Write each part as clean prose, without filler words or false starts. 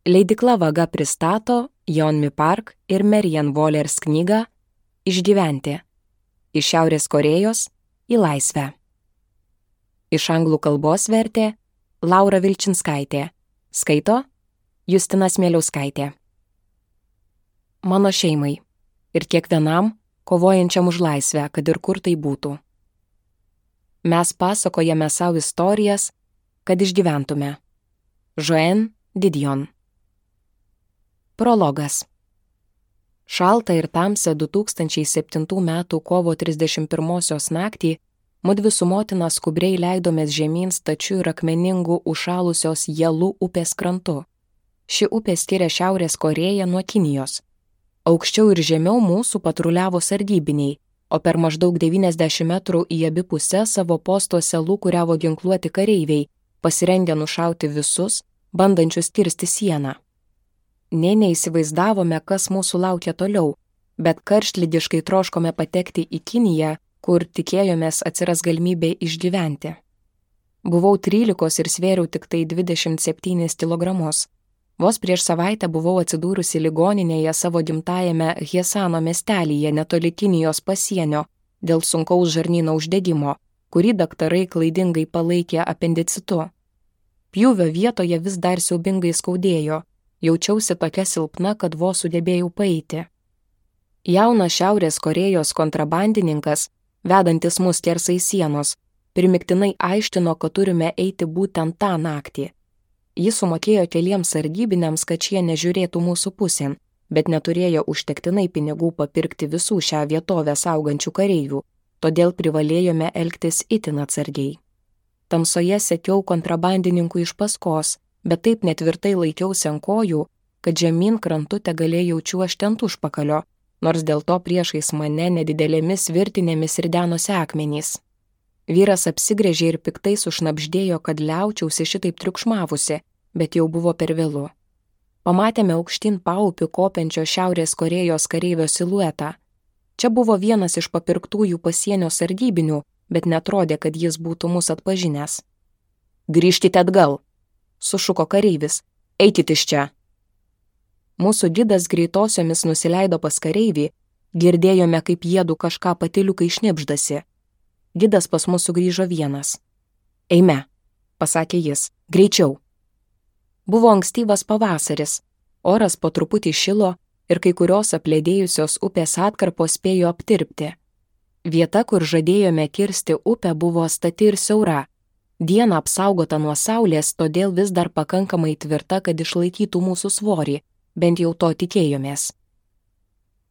Leidykla Vaga pristato Yeonmi Park ir Marianne Wohlers knygą Išgyventi. Iš Šiaurės Korėjos į laisvę. Iš anglų kalbos vertė Laura Vilčinskaitė. Skaito Justina Smėliauskaitė. Mano šeimai ir kiekvienam kovojančiam už laisvę, kad ir kur tai būtų. Mes pasakojame savo istorijas, kad išgyventume. Joanne Didion. Prologas. Šaltą ir tamsią 2007 metų kovo 31 naktį mudvi su motina skubriai leidomės žemyn stačių ir akmeningų užšalusios Jelų upės krantu. Ši upė skiria Šiaurės Korėją nuo Kinijos. Aukščiau ir žemiau mūsų patruliavo sargybiniai, o per maždaug 90 metrų į abi puses savo postuose lūkuriavo ginkluoti kareiviai, pasirengę nušauti visus, bandančius kirsti sieną. Nė neįsivaizdavome, kas mūsų laukia toliau, bet karštligiškai troškome patekti į Kiniją, kur tikėjomės atsiras galimybė išgyventi. Buvau 13 ir svėriau tik tai 27 kilogramus. Vos prieš savaitę buvau atsidūrusi ligoninėje savo gimtajame Hjesano miestelyje netoli Kinijos pasienio dėl sunkaus žarnyno uždegimo, kurį daktarai klaidingai palaikė apendicitu. Pjūvio vietoje vis dar siaubingai skaudėjo. Jaučiausi tokia silpna, kad vos sugebėjau paeiti. Jaunas Šiaurės Korėjos kontrabandininkas, vedantis mus skersai sienos, primiktinai aištino, kad turime eiti būtent tą naktį. Jis sumokėjo keliems sargybiniams, kad šie nežiūrėtų mūsų pusėn, bet neturėjo užtektinai pinigų papirkti visų šią vietovę saugančių kareivių, todėl privalėjome elgtis itin atsargiai. Tamsoje sekiau kontrabandininkų iš paskos, bet taip netvirtai laikiausi ant kojų, kad žemyn krantu tegalėjau čiuožti ant užpakalio, nors dėl to priešais mane nedidelėmis virtinėmis ridenosi akmenys. Vyras apsigręžė ir piktai sušnabždėjo, kad liaučiausi šitaip triukšmavusi, bet jau buvo per vėlu. Pamatėme aukštyn paupių kopiančio Šiaurės Korėjos kareivio siluetą. Čia buvo vienas iš papirktųjų pasienio sargybinių, bet netrodė, kad jis būtų mus atpažinęs. Grįžkite atgal, sušuko kareivis, eikit iš čia. Mūsų gidas greitosiomis nusileido pas kareivį, girdėjome, kaip jiedu kažką patyliukai šnibždasi. Gidas pas mus sugrįžo vienas. Eime, pasakė jis, greičiau. Buvo ankstyvas pavasaris, oras po truputį šilo ir kai kurios apledėjusios upės atkarpos spėjo aptirpti. Vieta, kur žadėjome kirsti upę, buvo stati ir siaura. Diena apsaugota nuo saulės, todėl vis dar pakankamai tvirta, kad išlaikytų mūsų svorį, bent jau to tikėjomės.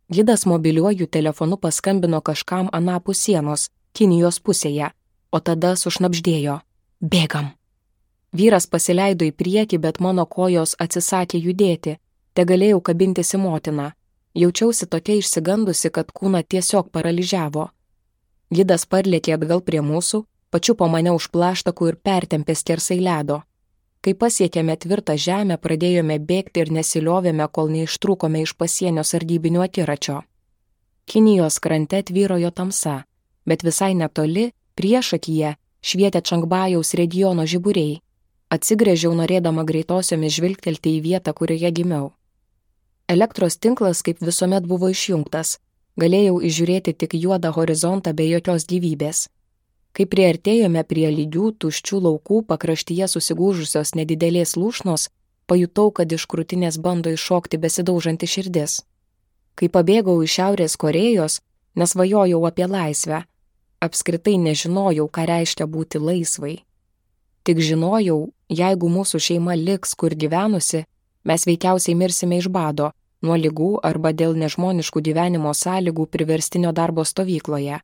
Gidas mobiliuoju telefonu paskambino kažkam anapus sienos, Kinijos pusėje, o tada sušnabždėjo. Bėgam. Vyras pasileido į priekį, bet mano kojos atsisakė judėti, tegalėjau kabintis į motiną. Jaučiausi tokia išsigandusi, kad kūną tiesiog paralyžiavo. Gidas parlėkė atgal prie mūsų, pačiupo mane už plaštakų ir pertempė skersai ledo. Kai pasiekėme tvirtą žemę, pradėjome bėgti ir nesiliovėme, kol neištrūkome iš pasienio sargybinių akiračio. Kinijos krante tvyrojo tamsa, bet visai netoli, priešakyje, švietė Čangbajaus regiono žiburiai. Atsigręžiau norėdama greitosiomis žvilgtelti į vietą, kurioje gimiau. Elektros tinklas kaip visuomet buvo išjungtas, galėjau įžiūrėti tik juodą horizontą be jokios gyvybės. Kai priartėjome prie lygių, tuščių laukų pakraštyje susigūžusios nedidelės lūšnos, pajutau, kad iš krūtinės bando iššokti besidaužanti širdis. Kai pabėgau iš Šiaurės Korėjos, nesvajojau apie laisvę. Apskritai nežinojau, ką reiškia būti laisvai. Tik žinojau, jeigu mūsų šeima liks, kur gyvenusi, mes veikiausiai mirsime iš bado, nuo ligų arba dėl nežmoniškų gyvenimo sąlygų priverstinio darbo stovykloje.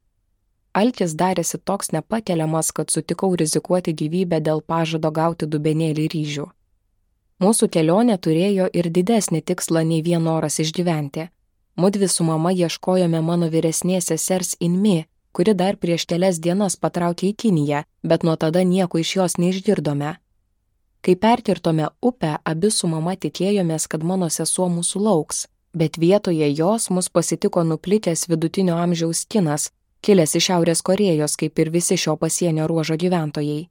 Alkis darėsi toks nepakeliamas, kad sutikau rizikuoti gyvybę dėl pažado gauti dubenėlį ryžių. Mūsų kelionė turėjo ir didesnį tikslą nei vien noras išgyventi. Mudvi su mama ieškojome mano vyresnės sesers Inmi, kuri dar prieš kelias dienas patraukė į Kiniją, bet nuo tada nieko iš jos neišgirdome. Kai perkirtome upę, abi su mama tikėjomės, kad mano sesuo mūsų lauks, bet vietoje jos mus pasitiko nuplikęs vidutinio amžiaus kinas, kilęs iš Šiaurės Korėjos, kaip ir visi šio pasienio ruožo gyventojai.